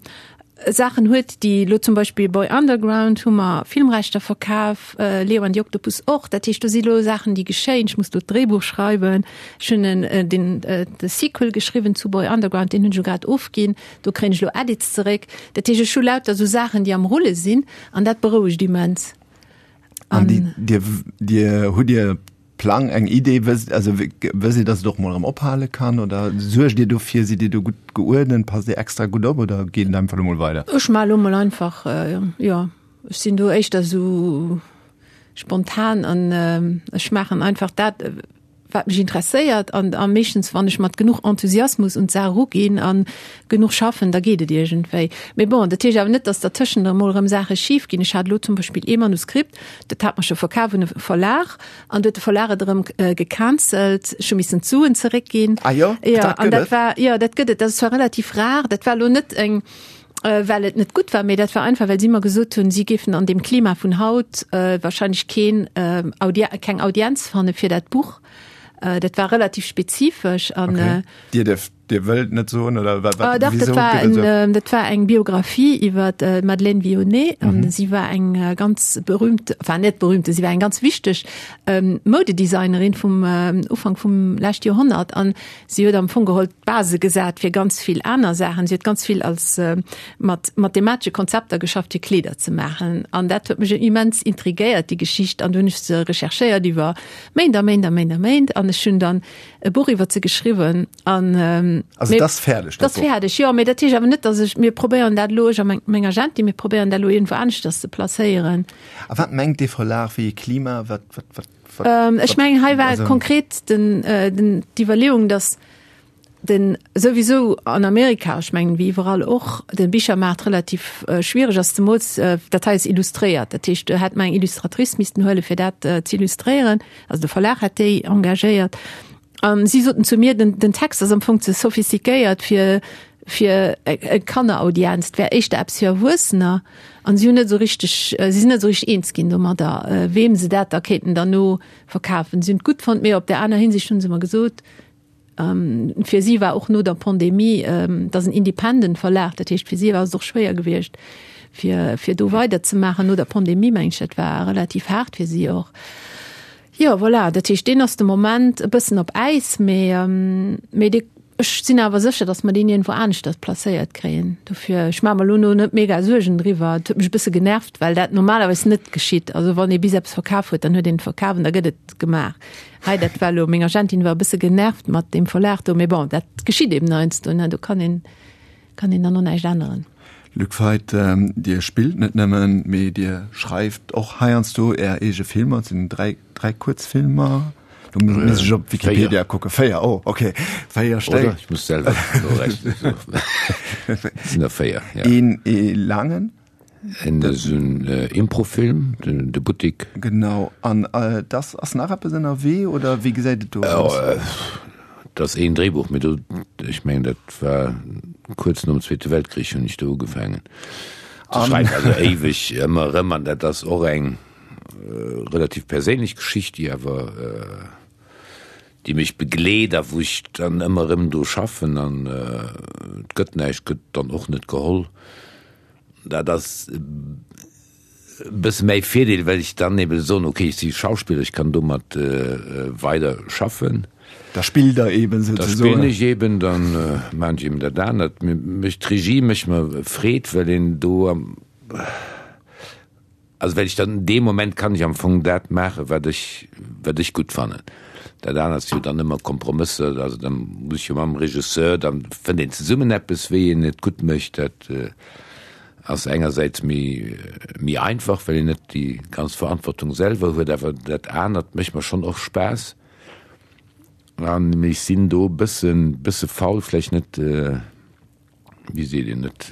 Saachen huet, déi elo zum Beispill Boy Underground hu mer Filmrechter verkaf, Leo and the Octopus och. Dat heescht, do si lo Saachen, déi geschéien. Ech muss do d'Dréibuch schreiwen. Ech hunn en den de Sequel geschriwwen zu Boy Underground, deen hunn ech elo grad ofginn. Do kréien ech elo Edits zeréck. Dat heescht, ech hu lauter esou Saachen, déi am Rulle sinn an dat berouegt immens. An déi, Dir, Dir, hutt Dir Plang, eng Idee, wësst, also wësst Dir, dass et och mol erëm ophale kann oder suergt Dir dofir, sidd Dir do gutt geuerdent, passt Dir extra gutt op oder geet et einfach elo mol weider? Ech maache lo mol einfach, jo, ech sinn do éischter esou spontan an ech maachen einfach dat, wat mech interesséiert an a meeschtens, wann ech mat genuch Enthusiasmus un d'Saach eruginn a genuch schaffen, da geet et iergendwéi. Mee bon, dat heescht awer net, dass dertëschent emol erëm Saache schif ginn. Ech hat elo zum Beispill ee Manuskript, dat hat mer scho verkaf un e Verlag, An du huet de Verlag et erëm gecancelt. Ech hu missen d'Suen zeréckginn. Ah jo? Ja, dat an dat war, jo, dat gëtt et. Dat ass zwar relativ rar. Dat war elo net eng, well et net gutt war, mee dat war einfach, well si mer gesot hunn, si géifen an deem Klima vun haut wahrscheinlech keen Audi-, keng Audienz fanne fir dat Buch. Dat war relativ spezifesch an. Okay. Dir dierft Dir wëllt net soen oder wat, wat, Dach, dat war en, ähm, dat war eng Biografie iwwer äh, Madeleine Vionnet an mhm. si war eng äh, ganz berühmt, war net berühmte, si war eng ganz wichteg ähm, Modedesignerin vum ähm, Ufank vum lescht Joerhonnert an si huet am Fong geholl d'Base gesat fir ganz vill aner Saachen. Si huet ganz vill als äh, mat mathematesche Konzepter geschafft fir Kleeder ze maachen an dat huet mech immens intrigéiert déi Geschicht an du hunn ech se recherchéiert iwwer Méint a Méint a Méint a Méint an ech hunn dann e Buch iwwer se geschriwwen an ähm, also dat ass fäerdeg dat ass fäerdeg jo mee dat heescht awer net dass ech mir probéieren dat elo ech a meng meng Agentin mir probéieren dat elo iergendwou aneschters ze placéieren. A wat mengt dee Verlag wéi ee Klima wat wat wat wat ähm, ech mengen hei war konkret den äh, den d'Iwwerleeung dass den souwisou an Amerika ech mengen wéi iwwerall och den Bichermaart relativ äh, schwiereg ass zemools äh, dat hei ass illustréiert dat heescht do hätt mer eng Illustratrice missten huele fir dat äh, ze illustréieren also de Verlag hätt déi engagéiert. An si soten zu mir, den, den Text ass am Fong ze sophistiquéiert fir fir eng Kanneraudienz, et wär éischter eppes fir Erwuessener. An si hunn net esou richteg, si sinn net esou richteg eens ginn domadder, weem se dat da kéinten derno verkafen. Si hunn et gutt fonnt, mee op där aner Hinsicht hu se mer gesot, Fir si war och no der Pandemie, et ass en Independent Verlag, dat heescht fir si war et och schwéier gewiescht, fir fir do weiderzemaachen no der Pandemie, meng ech. Dat war relativ haart fir si och. Jo, voilà, dat heescht deen ass de Moment e bëssen op Äis, mee mee dee ech sinn awer sécher, datt mer deen iergendwou aneschters placéiert kréien. Dofir, ech maache mer elo no net mega Suergen driwwer. Et huet mech e bësse genervt, well dat normalerweis net geschitt. Also wann ee bis eppes verkaf huet, dann huet een et verkaf an da gëtt et gemaach. Hei, dat war elo, meng Agentin war e bësse genervt mat deem Verlag do, mee bon, dat geschitt eben heiansdo, ne, do kann een, kann een dann och näischt änneren. Luc Feit, Dir spillt net nëmmen, mee Dir schreift och heiansdo Är eege Filmer. Et sinn 3, 3 Kuerzfilmer. Do muss ech op Wikipedia kucken. 4, oh, okay. 4 Stéck. Oder? Ech muss selwer norechnen. Et sinn der 4, ja. Een ee laangen. En esou en Improfilm, de Buttik. Genau. An dass ass nach eppes ënnerwee oder wéi gesäit et do aus? Et ass een Dréibuch, mee do, ech mengen dat war kuerz nom Zweete Weltkrich hunn ech do ugefaangen ze schreiwen, also éiweg ëmmer erëm. An dat ass och eng relativ perséinlech Geschicht, déi awer, déi mech begleet a wou ech dann ëmmer erëm dru schaffen an et gëtt näischt, gëtt dann och net geholl. Dat ass e bësse mäi Virdeel, well ech dann ebe soen, okay, ech si Schauspiller, ech kann domat weider schaffen. Da spillt Der eben souzesoen. Da spillen ech eben, da maachen ech eben dat anert. Mech d'Regie mécht mer Freed, well een do am, also well ech dann dee Moment kann ech am Fong dat maachen, wat ech, wat ech gutt fannen. Dat anert si jo dann ëmmer Kompromësser, also da muss ech jo mam Regisseur, da fënnt een zesummen eppes, wéi een et gutt mécht. Dat ass engersäits méi, méi einfach, well een net déi ganz Verantwortung selwer huet, awer dat anert mécht mer schonn och Spaass. An ech sinn do e bëssen, bësse faul, vläicht net, wéi seet een, net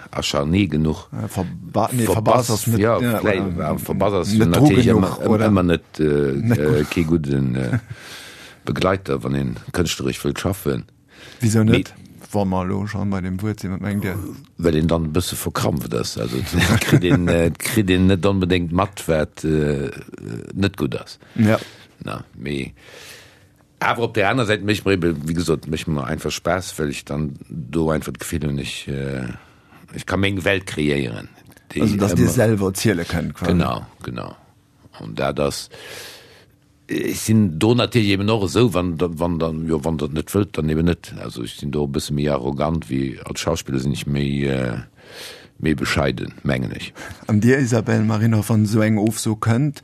acharné genuch. Verbass ass net, jo, vläicht, verbass ass jo natierlech ëmmer, ëmmer net, kee gudde Begleiter, wann een kënschtleresch wëllt schaffen. Wisou net? Wa mer elo schonn bei deem Wuert sinn, wat mengt Dir? Well een dann e bësse verkrampft ass. Also et kritt een, et kritt een net onbedéngt mat, wat net gutt ass. Ja. Na, mee awer op där aner Säit mécht mer ebe, wéi gesot, mécht mer einfach Spaass, well ech dann do einfach d'Gefill hunn, ech, ech ka meng Welt kreéieren. Déi Also datt Dir selwer ziele kënnt quasi. Genau, genau. An dat ass, ech sinn do natierlech eben och esou, wann wann dann, jo wann Der et net wëllt, dann eben net. Also ech sinn do e bësse méi arrogant wéi als Schauspiller sinn ech méi méi bescheiden, mengen ech. An Dir Isabelle Marinov, wann esou eng Ofso kënnt,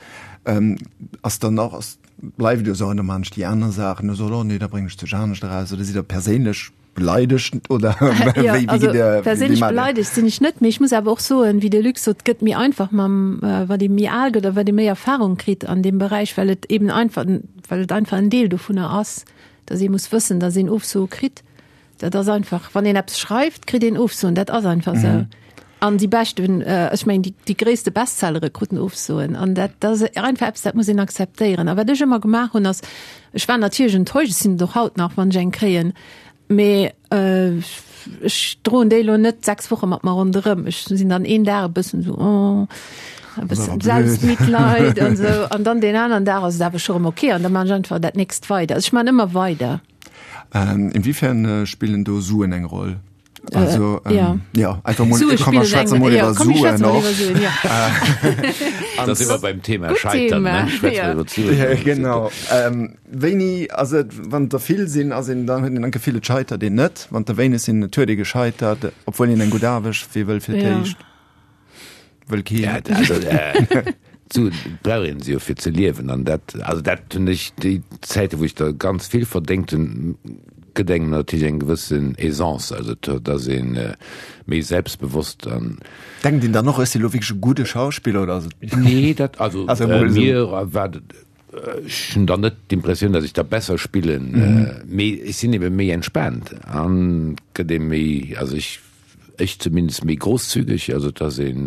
ass dann och, ass, bleift Dir esou, an da maachen ech déi aner Saachen, oder sot, oh nee, da bréngen ech sech anescht eraus, oder sidd Der perséinlech Beleidegt oder ja, wéi, wéi der, perséinlech beleidegt sinn ech net, mee ech muss awer och soen, wéi de Luc sot, gëtt méi einfach mam äh, wat ee méi al gëtt a wat ee méi Erfahrung kritt an deem Beräich, well et eben einfach well et einfach en Deel dovunner ass, datt ee muss wëssen, datt een Ofsoe kritt. Dat ass einfach, wann een eppes schreift, kritt een Ofsoen, dat ass einfach esou. Mhm. An déi beschten, ech mengen déi, déi gréisste Bestsellere kruten Ofsoen. An dat, dat ass einfach eppes, dat muss een akzeptéieren. A wat ech ëmmer gemaach hunn, ass, ech war natierlech enttäuscht, ech sinn et och haut nach, wann ech eng kréien, mee ech droen déi elo net 6 Woche mat mer ronderëm. Ech sinn dann een Dag e bëssen esou, oh, e bëssen Selbstmitleid an esou. An dann deen aneren Dag ass et awer scho rëm ok an da maachen ech einfach dat nächst weider. Also ech maachen ëmmer weider. Inwiefern spillen do Suen eng Roll? Also, ähm, ja. ja einfach mal, Sue komm, schwätzen mal ja, komm, Suen auch. Suen, ja. Da sind wir beim Thema Scheitern. Thema. Ne? Ja. Ja, genau. Ähm, wéini also wann der vill sinn ass een dann huet een Gefill et scheitert een net, wann der wéineg sinn et huet ee gescheitert, obwuel een eng gutt Aarbecht wee wëll fir d'éischt. Ja. Wëll keen. Ja, also, äh, d'Suen brauch een se jo fir ze liewen an dat, also dat hunn ech déi Zäite wou ech der ganz vill verdéngt hunn, gëtt engem natierlech eng gewëssen Aisance, also et ass een méi selbstbewosst an. Denkt een dann och, ech si lo wierklech e gudde Schauspiller oder ass et. Nee, dat, also, also mir war ech hunn dann net d'Impressioun, datt ech da besser spillen, mee ech sinn ebe méi entspaant an gëtt ee méi, also ech Ech zumindest méi großzügig, also et ass een,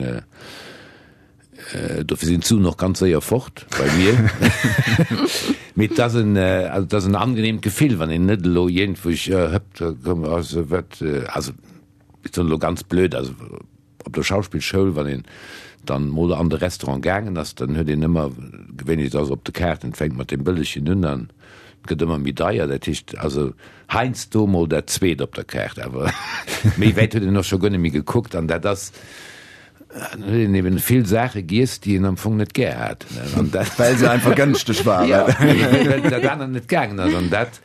dofir sinn d'Suen och ganz séier fort bei mir. Mee et ass en, also et ass en angenehmt Gefill, wann een net elo iergendwou hëppt, komm, also wat, also ech soen elo ganz blöd, also op der Schauspillschoul, wann een dann mol an de Restaurant gaangen ass, dann huet een ëmmer, gewéinlech et ass op de Kaarten, et fänkt mat deem bëllegen un an et gëtt ëmmer méi deier, dat heescht also Heiansdo mol dat zweet op der Kaart, awer méi wäit huet een och scho guer net méi gekuckt. An dat ass, dann huet een eben vill Saache giess, déi een am Fong net gär hat. An dat, Well se einfach gënschteg waren. Ja, well dat anert net gaangen ass. An dat,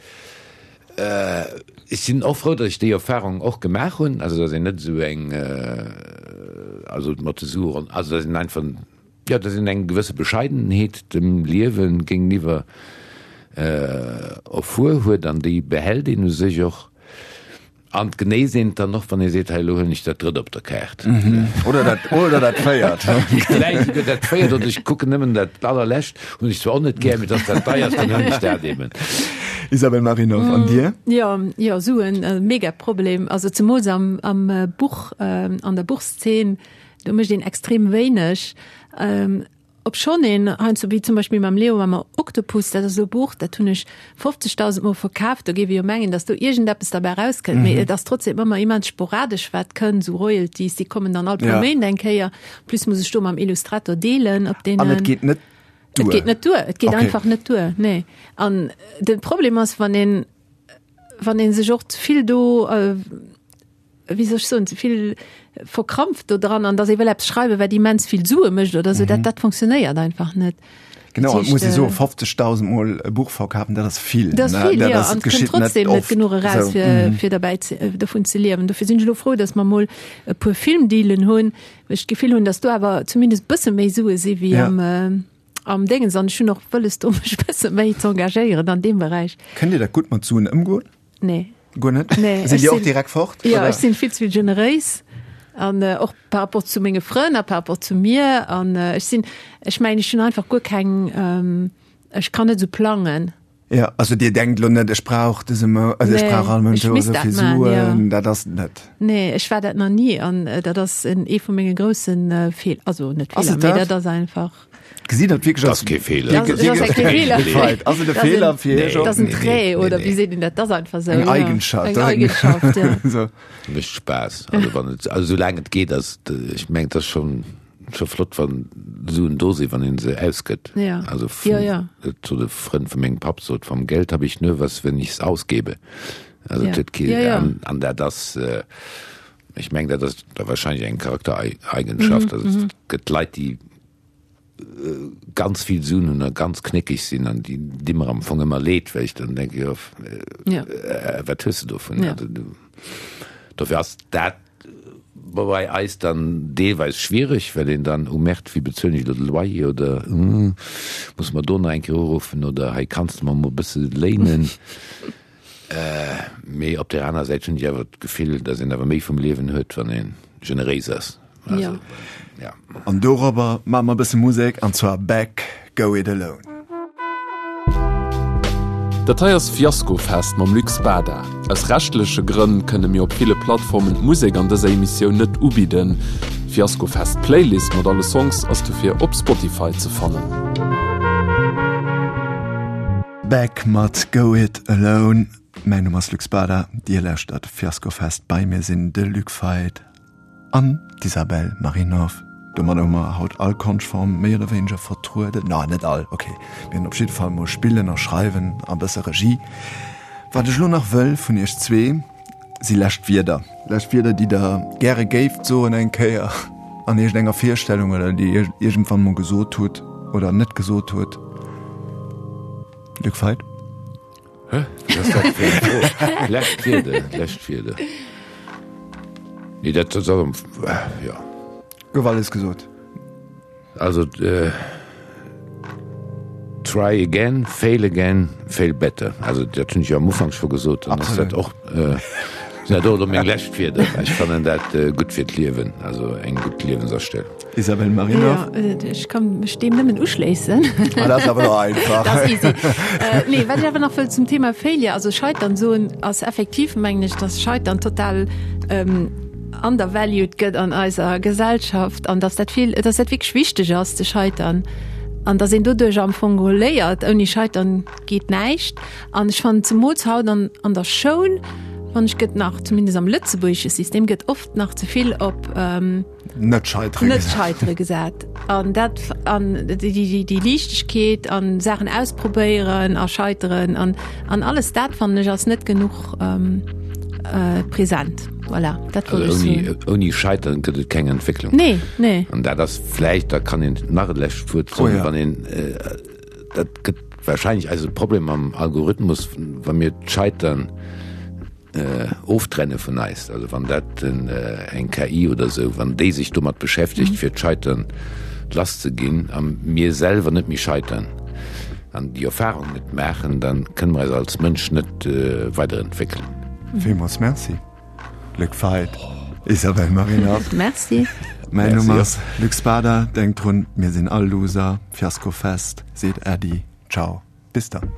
ech sinn och frou, datt ech déi Erfahrung och gemaach hunn, also datt een net esou eng, also mat de Sue, also datt een einfach, Jo, datt een eng gewësse Bescheidenheet dem Liewe géingeniwwer erfuer huet an déi behält een u sech och. An d'Genéis eent dann och, wann ee seet, hei elo huelen ech dat drëtt op der Kaart. Oder dat, oder dat véiert. Vläicht esouguer dat véiert, oder ech kucken nëmmen dat allerlescht, hunn ech zwar och net gär, mee et ass dat deierst, dann huelen ech dat eben. Isabel Marinov, an Dir? Jo, jo, Suen, e mega Problem. Also zemools am, am Buch, an der Buchszene, do mécht een extrem wéineg. Obschonn een heiansdo, wéi zum Beispill mam Leo mam Oktopus, dat ass elo e Buch, dat hunn ech 50.000 Mol verkaf, do géif ee jo mengen, datt do iergendeppes derbäi erauskënnt, mee et ass trotzdem ëmmer immens sporadesch wat kënnt, esou Royalties, déi kommen dann all puer Méint eng Kéier, plus muss ech do mam Illustrator deelen op deenen. An et geet net duer? Et geet net duer, et geet einfach net duer, nee. An de Problem ass, wann een, wann ee sech och ze vill do, wéi soll ech soen, ze vill verkrampft do dran an dass ee wëll eppes schreiwen, wat immens vill Sue mécht oder sou, dat, dat funktionéiert einfach net. Genau, et muss ee soen, 50.000 mol e Buch verkafen, dat ass vill. Dat ass vill, jo, an et kënnt trotzdem net genuch eraus, fir, fir derbäi ze, dovun ze liewen. Dofir sinn ech elo frou, dass mer mol e puer Filmdealen hunn, well ech d'Gefill hunn, dass do awer zumindest e bësse méi Sue si wéi am, am Déngens. An ech hunn och wëlles, do mech e bësse méi z'engagéieren an deem Beräich. Kënnt Dir dat gutt mat Suen ëmgoen? Nee. Guer net? Nee. Sinn Dir och direkt fort? Ja, ech sinn vill ze vill generéis an äh, och par rapport zu menge Frënn a par rapport zu mir an äh, ech sinn ech mengen ech hunn einfach guer keng ähm, ech kann net sou plangen. Ja, also Dir denkt lo net ech brauch dëse Mount, also ech brauch all Mount esou vill Suen, dat ass net. Nee, ech war dat nach ni an äh, dat ass en ee vu menge groussen äh, Feel, also net Feeler, mee dat ass einfach. Gesitt dat wierklech als kee Feeler. Ass et e Feeler fir Iech och? Dat ass en Trait oder wéi seet een dat? Dat ass einfach esou. Eng Eigenschaft. Eng Eigenschaft, ja. Mécht Spaass. Also wann et, also soulaang et geet, ass et, ech mengen, et ass schonn, scho flott, wann Suen do sinn, wann ee se ausgëtt. Ja. Also vun, et sot e Frënd vu mengem Papp sot, vom Geld habe ich nur was, wenn ich's ausgebe. Also et huet kee, an dat ass, ech mengen, dat ass da wahrscheinlech eng Charaktereigenschaft. Also et gëtt Leit, déi ganz vill Suen hunn a ganz knéckeg sinn an déi di mer am Fong ëmmer leed, well ech dann denke jo ja. äh, wat hues du dovun? Ja. Also, du, dofir ass dat bei eis dann deelweis schwierig, well een dann oh Merde, wéi bezuelen ech elo de Loyer oder hm, muss mer do nach eng Kéier uruffen oder hei kanns de mer mol e bësse léinen. Äh, mee op der aner Säit hunn ech awer d'Gefill, datt een awer méi vum Liewen huet, wann ee generéis ass. Also, ja. ja. An dorobber maache mer e bësse Musek, an zwar Beck, Go It Alone. Dat hei ass Fiaskofest mam Luc Spada. Aus rechtleche Grënn kënne mir op ville Plattformen d'Musek an dëser Emissioun net ubidden. D'Fiaskofest Playlist mat alle Songs ass dofir op Spotify ze fannen. Beck mat Go It Alone. Mäin Numm ass Luc Spada, Dir lauschtert Fiaskofest. Bei mir sinn de Luc Feit an d'Isabel Marinov. Domadder hu mer haut all Konschtform méi oder wéineger vertrueden. Na, net all, ok. Mir hunn op jidde Fall mol Spillen a Schreiwen a bësse Regie. Wat ech elo nach wëll vun iech zwee, si lescht Wierder. Lescht Wierder, déi der gäre géift soen eng Kéier an iergendenger Virstellung oder déi Dir iergendwann mol gesot hutt oder net gesot hutt. Luc Feit? Hä? Wat ass dat fir eng Fro? Lescht Wierder, lescht Wierder. Nee, dat ass am, jo. Gouf alles gesot. Also try again, fail again, fail better. Also dat hunn ech jo am Ufank scho gesot. Dann ass dat och sinn dat och elo meng lescht Wierder. Ech fannen dat gutt fir d'Liewen, also eng gutt Liewensastellung. Isabelle Marinov. Jo, ech kann mech deem nëmmen uschléissen. Ah, dat ass awer elo einfach. Dat ass easy. Nee, wat ech awer nach wëll zum Thema Failure, also Scheitern soen, ass effektiv, mengen ech, dass Scheitern total undervalued gëtt an eiser Gesellschaft an dass dat vill, dass dat wierklech wichteg ass ze scheitern an dass een doduerch am Fong geholl léiert, ouni scheitern geet näischt. An ech fannen zemools haut an, an der Schoul, fannen ech, gëtt nach, zumindest am lëtzebuergesche System, gëtt oft nach ze vill op net scheitere net scheitere gesat. An dat an déi, déi, déi Liichtegkeet an Saachen ausprobéieren a scheiteren an, an alles dat fannen ech ass net genuch ähm, äh, präsent. Voilà, dat wollt Also ech ouni, soen. ouni Scheitern gëtt et keng Entwécklung. Nee, nee. An dat ass vläicht, da kann een nach e lescht Wuert soen, Oh ja. wann een, äh, dat gëtt wahrscheinlech eise Problem am Algorithmus, wa mir d'Scheitern oftrenne vun eis, also wann dat eng KI oder esou, wann déi sech domat beschäftegt fir d'Scheitern lass ze ginn a mir selwer net méi scheitern an déi Erfahrung net maachen, dann kënne mer eis als Mënsch net weiderentwéckelen. Villmools Merci. Luc Feit, Isabelle Marinov. Merci. Mäin Numm ass Luc Spada. Denkt drun, mir sinn all Loser. Fiasko Fest seet Äddi. Ciao, bis dann.